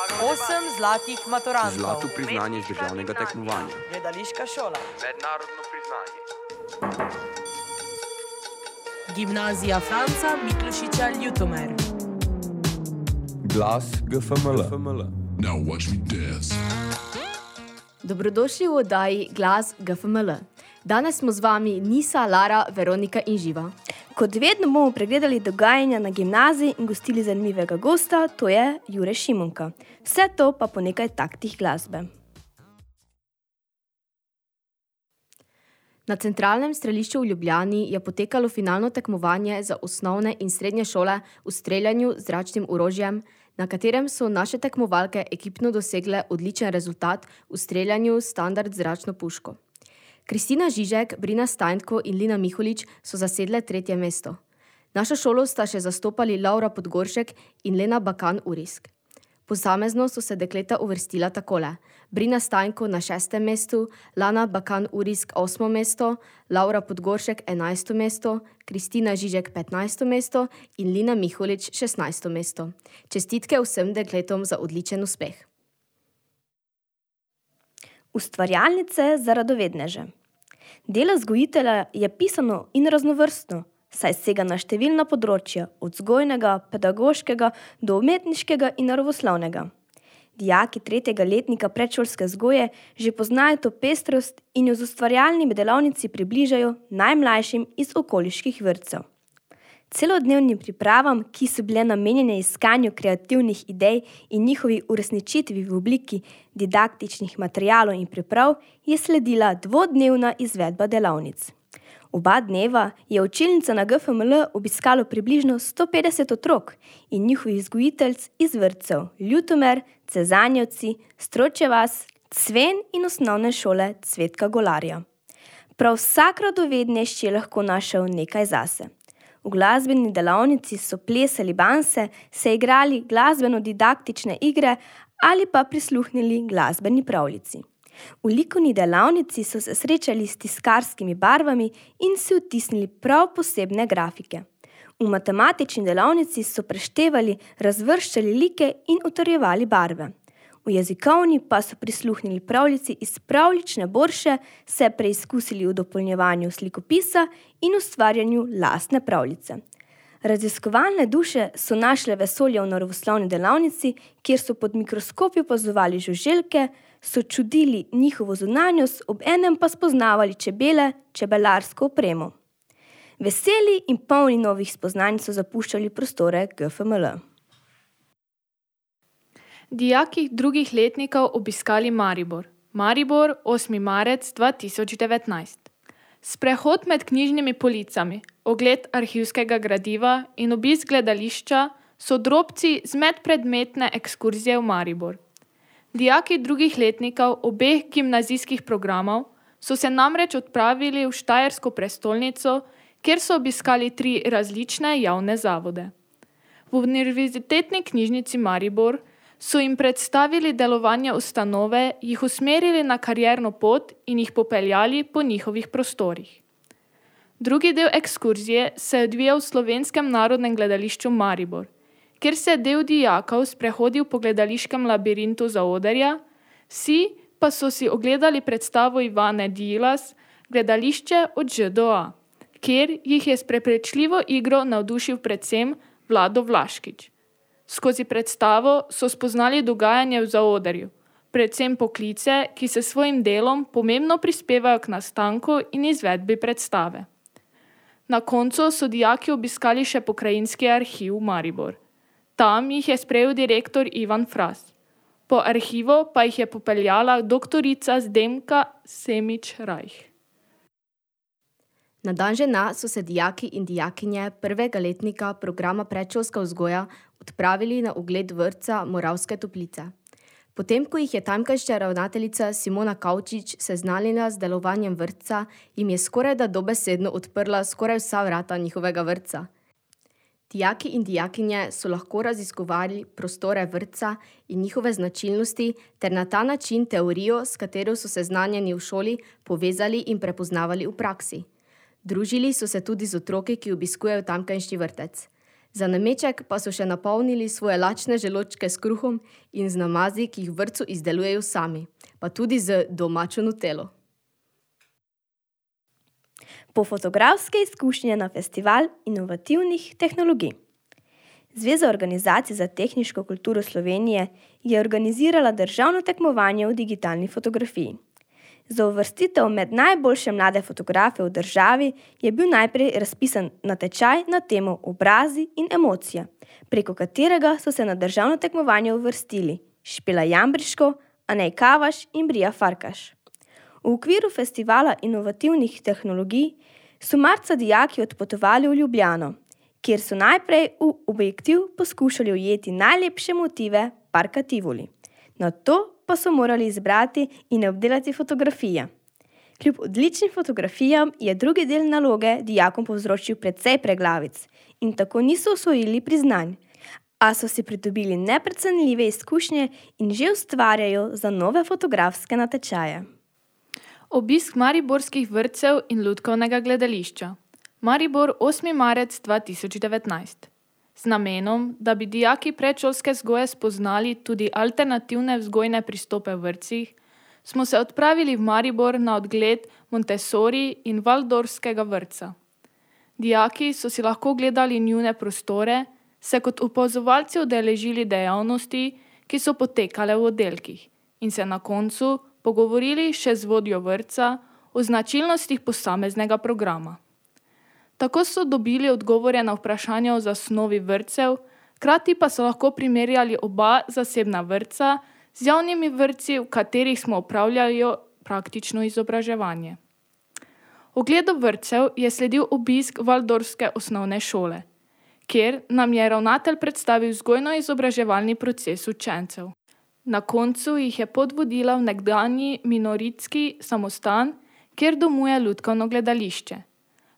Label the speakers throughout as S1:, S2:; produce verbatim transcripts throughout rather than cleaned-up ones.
S1: Osem zlatih maturantov.
S2: Zlato priznanje z državnega tekmovanja.
S1: Gledališka šola.
S3: Mednarodno priznanje.
S1: Gimnazija Franca Miklošiča Ljutomer.
S2: Glas G F M L.
S4: Now watch me dance.
S5: Dobrodošli v oddaji Glas G F M L. Danes smo z vami Nisa, Lara, Veronika in Živa.
S6: Kot vedno bomo pregledali dogajanja na gimnaziji in gostili zanimivega gosta, to je Jure Šimunka. Vse to pa po nekaj taktih glasbe.
S5: Na centralnem strelišču v Ljubljani je potekalo finalno tekmovanje za osnovne in srednje šole v streljanju z zračnim orožjem, na katerem so naše tekmovalke ekipno dosegle odličen rezultat v streljanju standard zračno puško. Kristina Žižek, Brina Stajnko in Lina Miholič so zasedle tretje mesto. Našo šolo sta še zastopali Laura Podgoršek in Lena Bakan-Urisk. Posamezno so se dekleta uvrstila takole: Brina Stajnko na šestem mestu, Lana Bakan-Urisk osmo mesto, Laura Podgoršek enajsto mesto, Kristina Žižek petnajsto mesto in Lina Miholič šestnajsto mesto. Čestitke vsem dekletom za odličen uspeh.
S6: Ustvarjalnice za radovedneže. Delo vzgojitelja je pisano in raznovrstno, saj sega na številna področja, od vzgojnega, pedagoškega do umetniškega in naravoslovnega. Dijaki tretjega letnika predšolske vzgoje že poznajo to pestrost in jo z ustvarjalnimi delavnici približajo najmlajšim iz okoliških vrtcev. Celodnevnim pripravam, ki so bile namenjene iskanju kreativnih idej in njihovi uresničitvi v obliki didaktičnih materialov in priprav, je sledila dvodnevna izvedba delavnic. Oba dneva je učilnica na G F M L obiskalo približno sto petdeset otrok in njihovih vzgojiteljic iz vrtcev Ljutomer, Cezanjevci, Stročja vas, Cven in osnovne šole Cvetka Golarja. Prav vsak radovednež je lahko našel nekaj zase. V glasbeni delavnici so plesali banse, se igrali glasbeno-didaktične igre ali pa prisluhnili glasbeni pravljici. V likovni delavnici so se srečali s tiskarskimi barvami in si vtisnili prav posebne grafike. V matematični delavnici so preštevali, razvrščali like in utrjevali barve. V jezikovni pa so prisluhnili pravljici iz pravljične borše, se preizkusili v dopolnjevanju slikopisa in ustvarjanju lastne pravljice. Raziskovalne duše so našle vesolje v naravoslovni delavnici, kjer so pod mikroskopi opazovali žuželke, so čudili njihovo zunanjost, ob enem pa spoznavali čebele, čebelarsko opremo. Veseli in polni novih spoznanj so zapuščali prostore G F M L.
S7: Dijaki drugih letnikov obiskali Maribor. Maribor, osmi marec dva tisoč devetnajst. Sprehod med knjižnimi policami, ogled arhivskega gradiva in obisk gledališča so drobci z medpredmetne ekskurzije v Maribor. Dijaki drugih letnikov obeh gimnazijskih programov so se namreč odpravili v Štajersko prestolnico, kjer so obiskali tri različne javne zavode. V Univerzitetni knjižnici Maribor so jim predstavili delovanje ustanove, jih usmerili na karierno pot in jih popeljali po njihovih prostorih. Drugi del ekskurzije se je odvijal v Slovenskem narodnem gledališču Maribor, kjer se je del dijakov sprehodil po gledališkem labirintu zaodrja, vsi pa so si ogledali predstavo Ivane Dilas, Gledališče od Ž do A, kjer jih je s prepričljivo igro navdušil predvsem Vlado Vlaškič. Skozi predstavo so spoznali dogajanje v zaodrju, predvsem poklice, ki se svojim delom pomembno prispevajo k nastanku in izvedbi predstave. Na koncu so dijaki obiskali še pokrajinski arhiv Maribor. Tam jih je sprejel direktor Ivan Fras. Po arhivu pa jih je popeljala doktorica Zdenka Semič-Rajh.
S5: Na dan žena so se dijaki in dijakinje prvega letnika programa predšolska vzgoja odpravili na ogled vrtca Moravske Toplice. Potem, ko jih je tamkajšnja ravnateljica Simona Kavčič seznanila z delovanjem vrtca, jim je skorajda dobesedno odprla skoraj vsa vrata njihovega vrtca. Dijaki in dijakinje so lahko raziskovali prostore vrtca in njihove značilnosti ter na ta način teorijo, s katero so seznanjeni v šoli, povezali in prepoznavali v praksi. Družili so se tudi z otroki, ki obiskujejo tamkajšnji vrtec. Za nameček pa so še napolnili svoje lačne želočke s kruhom in z namazi, ki jih v vrtcu izdelujejo sami, pa tudi z domačo nutelo.
S6: Po fotografske izkušnje na festival inovativnih tehnologij. Zveza organizacij za tehniško kulturo Slovenije je organizirala državno tekmovanje v digitalni fotografiji. Za uvrstitev med najboljše mlade fotografe v državi je bil najprej razpisan natečaj na temo obrazi in emocije, preko katerega so se na državno tekmovanje uvrstili Špela Jambriško, Anej Kavaš in Brija Farkaš. V okviru festivala inovativnih tehnologij so marca dijaki odpotovali v Ljubljano, kjer so najprej v objektiv poskušali ujeti najlepše motive parka Tivoli. Nato pa so morali izbrati in obdelati fotografije. Kljub odličnim fotografijam je drugi del naloge dijakom povzročil precej preglavic in tako niso osvojili priznanj, a so si pridobili neprecenljive izkušnje in že ustvarjajo za nove fotografske natečaje.
S7: Obisk mariborskih vrtcev in lutkovnega gledališča. Maribor, osmi marec dva tisoč devetnajst. Z namenom, da bi dijaki predšolske vzgoje spoznali tudi alternativne vzgojne pristope v vrtcih, smo se odpravili v Maribor na odgled Montessori in Waldorfskega vrtca. Dijaki so si lahko gledali njune prostore, se kot opazovalci udeležili dejavnosti, ki so potekale v oddelkih, in se na koncu pogovorili še z vodjo vrtca o značilnostih posameznega programa. Tako so dobili odgovore na vprašanja o zasnovi vrtcev, hkrati pa so lahko primerjali oba zasebna vrtca z javnimi vrtci, v katerih smo opravljali praktično izobraževanje. Ogledu vrtcev je sledil obisk Waldorfske osnovne šole, kjer nam je ravnatelj predstavil vzgojno-izobraževalni proces učencev. Na koncu jih je pot vodila v nekdanji minoritski samostan, kjer domuje lutkovno gledališče.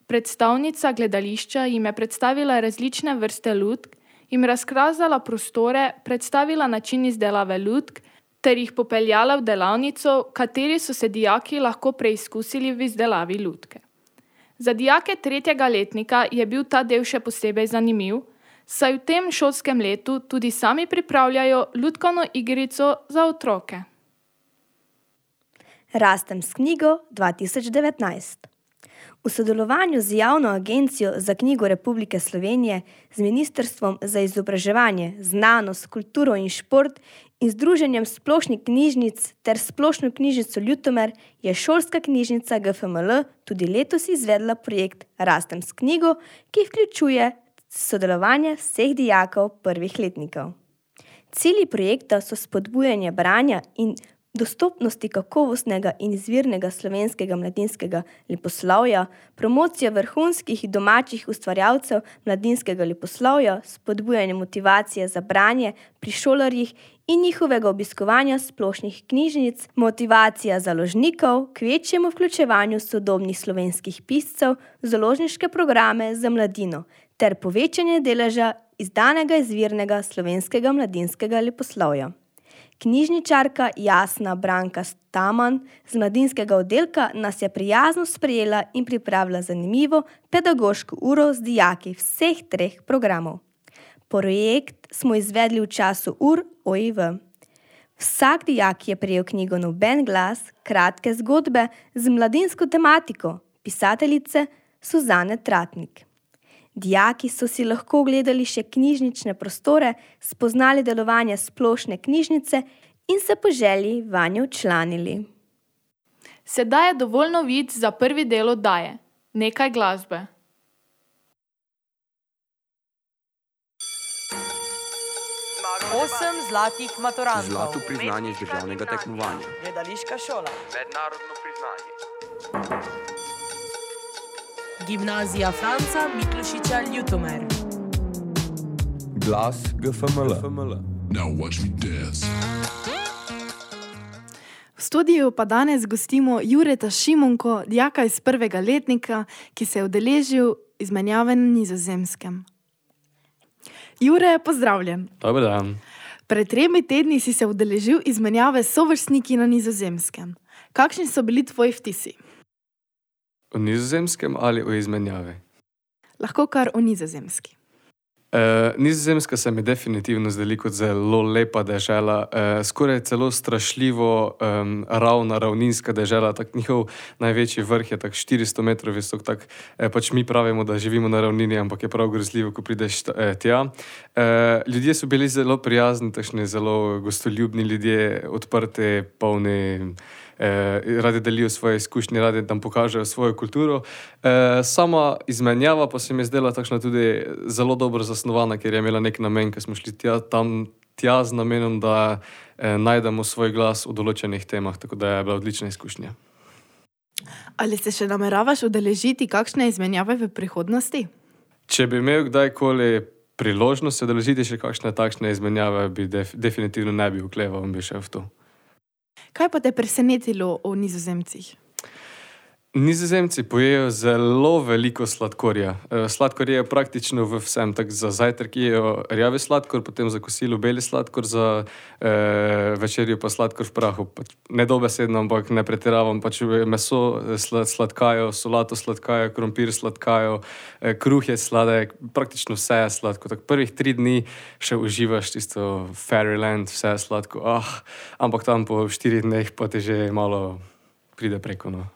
S7: Predstavnica gledališča jim je predstavila različne vrste lutk, jim razkazala prostore, predstavila način izdelave lutk ter jih popeljala v delavnico, v kateri so se dijaki lahko preizkusili v izdelavi lutke. Za dijake tretjega letnika je bil ta del še posebej zanimiv, saj v tem šolskem letu tudi sami pripravljajo lutkovno igrico za otroke.
S6: Rastem s knjigo dva tisoč devetnajst. V sodelovanju z Javno agencijo za knjigo Republike Slovenije, z Ministrstvom za izobraževanje, znanost, kulturo in šport in Združenjem splošnih knjižnic ter Splošno knjižnico Ljutomer je šolska knjižnica G F M L tudi letos izvedla projekt Rastem s knjigo, ki vključuje sodelovanje vseh dijakov prvih letnikov. Cilji projekta so spodbujanje branja in dostopnosti kakovostnega in izvirnega slovenskega mladinskega leposlovja, promocija vrhunskih domačih ustvarjalcev mladinskega leposlovja, spodbujanje motivacije za branje pri šolarjih in njihovega obiskovanja splošnih knjižnic, motivacija založnikov k večjemu vključevanju sodobnih slovenskih piscev v založniške programe za mladino ter povečanje deleža izdanega izvirnega slovenskega mladinskega leposlovja. Knjižničarka Jasna Branka Staman z mladinskega oddelka nas je prijazno sprejela in pripravila zanimivo pedagoško uro z dijaki vseh treh programov. Projekt smo izvedli v času ur O I V. Vsak dijak je prejel knjigo Noben glas, kratke zgodbe z mladinsko tematiko pisateljice Suzane Tratnik. Dijaki so si lahko ogledali še knjižnične prostore, spoznali delovanje splošne knjižnice in se po želji vanjo včlanili.
S7: Sedaj je dovolj novic za prvi del oddaje. Nekaj glasbe.
S1: Osem zlatih maturantov.
S2: Zlato priznanje iz državnega tekmovanja.
S1: Gledališka šola.
S2: Mednarodno priznanje.
S1: Gimnazija Franca Miklošiča Ljutomer.
S2: Glas G F M L.
S4: Now watch me dance.
S3: V studiu pa danes gostimo Jureta Šimunko, dijaka iz prvega letnika, ki se je udeležil izmenjave na Nizozemskem. Jure, pozdravljen.
S8: Dober dan.
S3: Pred tremi tedni si se udeležil izmenjave s sovrstniki na Nizozemskem. Kakšni so bili tvoji vtisi?
S8: O Nizozemskem ali o izmenjavi?
S3: Lahko kar o Nizozemski.
S8: Uh, Nizozemska se mi definitivno zdeli kot zelo lepa dežela, uh, skoraj celo strašljivo um, ravna, ravninska dežela. Tak njihov največji vrh je tak štiristo metrov visok, tak eh, pač mi pravimo, da živimo na ravnini, ampak je prav grozljivo, ko prideš eh, tja. Uh, ljudje so bili zelo prijazni, takšni zelo gostoljubni ljudje, odprti, polni, eh, radi delijo svoje izkušnje, radi nam pokažejo svojo kulturo. Eh, sama izmenjava pa se mi je zdela takšna tudi zelo dobro zasnovana, ker je imela nek namen, ker smo šli tja, tam tja z namenom, da eh, najdemo svoj glas v določenih temah, tako da je bila odlična izkušnja.
S3: Ali se še nameravaš udeležiti kakšne izmenjave v prihodnosti?
S8: Če bi imel kdajkoli priložnost se udeležiti še kakšne takšne izmenjave, bi def, definitivno ne bi okleval in bi šel v to.
S3: Kaj pa te presenetilo o Nizozemcih?
S8: Nizozemci pojejo zelo veliko sladkorja. Sladkor je praktično v vsem. Tak za zajtrk jejo rjavi sladkor, potem za kosilo beli sladkor, za eh, večerjo pa sladkor v prahu. Pač nedobesedno, ampak ne pretiravam. Pač meso sladkajo, solato sladkajo, krompir sladkajo, eh, kruh je sladek, praktično vse je sladko. Tak prvih tri dni še uživaš tisto Fairyland, vse je sladko. Ah, ampak tam po štirih dneh pa te že malo pride preko. No.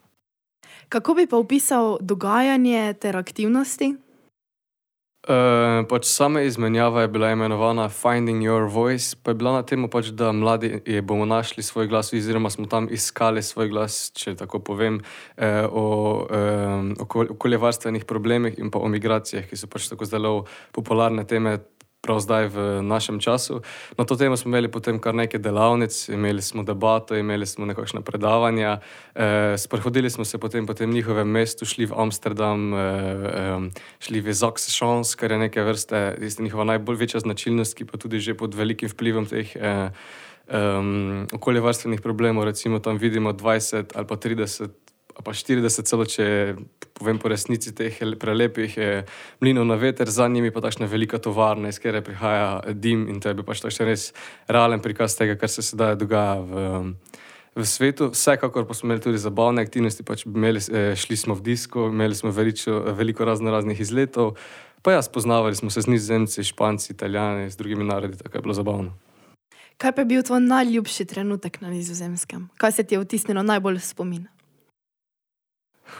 S3: Kako bi pa opisal dogajanje ter aktivnosti?
S8: Uh, pač sama izmenjava je bila imenovana Finding Your Voice, pa je bila na temo, pač, da mladi je bomo našli svoj glas, oziroma smo tam iskali svoj glas, če tako povem, eh, o eh, okoljevarstvenih problemih in pa o migracijah, ki so pač tako zelo popularne teme prav zdaj v našem času. Na to temo smo imeli potem kar nekaj delavnic, imeli smo debato, imeli smo nekakšna predavanja, eh, sprehodili smo se potem po tem njihovem mestu, šli v Amsterdam, eh, eh, šli v Zaksešans, kar je neke vrste njihova najbolj večja značilnost, ki pa tudi že pod velikim vplivom teh eh, um, okoljevarstvenih problemov, recimo tam vidimo dvajset ali pa trideset ali pa štirideset celo, če povem po resnici teh prelepih eh, mlinov na veter, za njimi pa takšna velika tovarna, iz kjer prihaja dim in to je bil pač takšen res realen prikaz tega, kar se sedaj dogaja v, v svetu. Vsekakor pa smo imeli tudi zabavne aktivnosti, pač imeli, eh, šli smo v disko, imeli smo veliko, veliko razno raznih izletov, pa ja, spoznavali smo se z Nizozemci, Španci, Italijani, z drugimi narodi, tako je bilo zabavno.
S3: Kaj pa je bil tvoj najljubši trenutek na Nizozemskem? Kaj se ti je vtisnilo najbolj v spomin?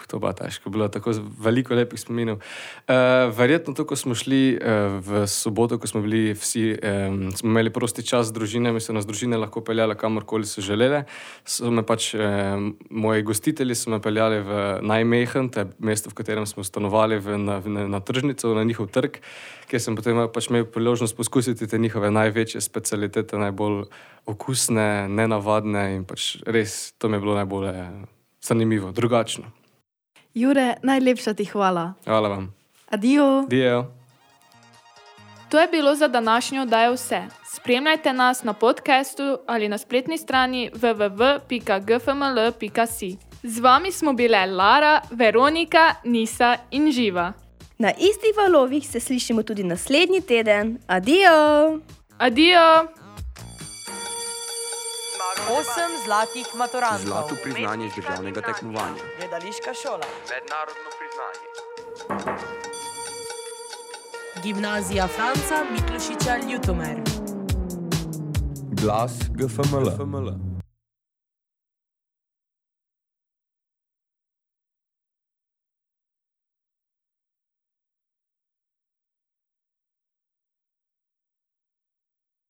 S8: To pa težko, bilo tako veliko lepih spominov. Uh, verjetno to, ko smo šli uh, v soboto, ko smo bili vsi, um, smo imeli prosti čas z družinami, so nas družine lahko peljale kamorkoli so želele. So me pač, um, moji gostitelji so me peljali v Nijmegen, to je mesto, v katerem smo stanovali v, na, na, na tržnico, na njihov trg, kjer sem potem pač imel priložnost poskusiti te njihove največje specialitete, najbolj okusne, nenavadne in pač res to mi je bilo najbolj zanimivo, drugačno.
S3: Jure, najlepša ti hvala.
S8: Hvala vam.
S3: Adijo.
S8: Adijo.
S7: To je bilo za današnjo oddajo vse. Spremljajte nas na podcastu ali na spletni strani w w w pika g f m l pika si. Z vami smo bile Lara, Veronika, Nisa in Živa.
S6: Na istih valovih se slišimo tudi naslednji teden. Adijo!
S7: Adijo!
S1: Osem zlatih maturantov.
S2: Zlato priznanje iz državnega tekmovanja.
S1: Gledališka šola.
S2: Mednarodno priznanje.
S1: Gimnazija Franca Miklošiča Ljutomer.
S2: Glas G F M L.